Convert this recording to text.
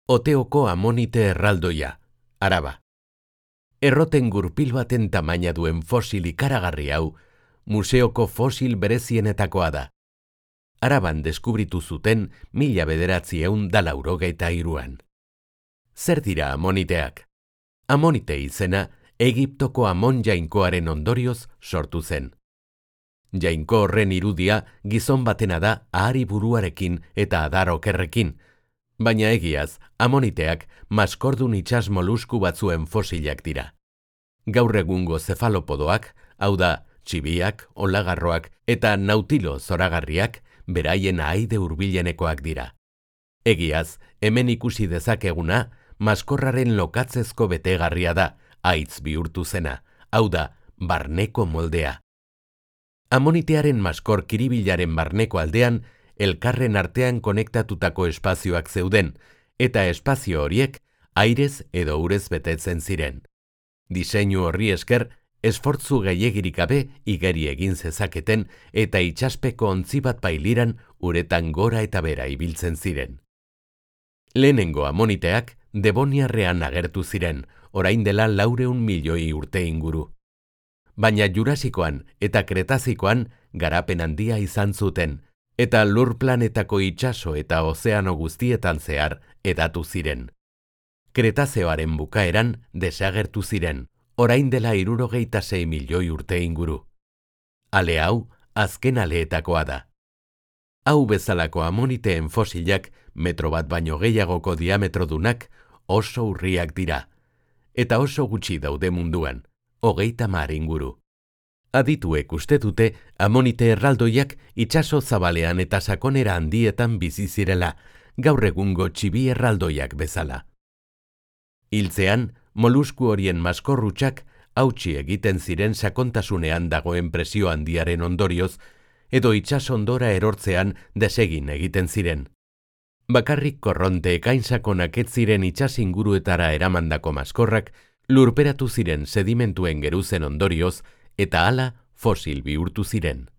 Oteoko amonite erraldoia, Araba. Erroten gurpil baten tamaina duen fosil ikaragarri hau, museoko fosil berezienetakoa da. Araban deskubritu zuten 1983an. Zer dira amoniteak? Amonite izena Egiptoko Amon jainkoaren ondorioz sortu zen. Jainko horren irudia gizon batena da ahari buruarekin eta adar okerrekin, baina egiaz, amoniteak maskordun itsas molusku batzuen fosilak dira. Gaur egungo zefalopodoak, hau da, txibiak, olagarroak eta nautilo zoragarriak, beraien ahaide hurbilenekoak dira. Egiaz, hemen ikusi dezakeguna, maskorraren lokatzezko betegarria da, haitz bihurtu zena, hau da, barneko moldea. Amonitearen maskor kiribilaren barneko aldean, elkarren artean konektatutako espazioak zeuden, eta espazio horiek airez edo urez betetzen ziren. Diseinu horri esker, esfortzu gehiegirik gabe igeri egin zezaketen eta itsaspeko ontzi bat bailiran uretan gora eta bera ibiltzen ziren. Lehenengo amoniteak Devoniarrean agertu ziren, orain dela 400 milioi urte inguru. Baina Jurasikoan eta Kretazikoan garapen handia izan zuten, eta lur planetako itsaso eta ozeano guztietan zehar hedatu ziren. Kretazeoaren bukaeran desagertu ziren, orain dela 76 milioi urte inguru. Ale hau, azken aleetakoa da. Hau bezalako amoniteen fosilak, metro bat baino gehiagoko diametrodunak, oso urriak dira, eta oso gutxi daude munduan, 30 inguru. Adituek uste dute amonite erraldoiak itsaso zabalean eta sakonera handietan bizi zirela, gaur egungo txibi erraldoiak bezala. Hiltzean, molusku horien maskorrutxak hautsi egiten ziren sakontasunean dagoen presio handiaren ondorioz, edo itsasondora erortzean desegin egiten ziren. Bakarrik korronte ekainsakonak ez ziren itsas inguruetara eramandako maskorrak lurperatu ziren sedimentuen geruzen ondorioz eta hala fosil bihurtu ziren.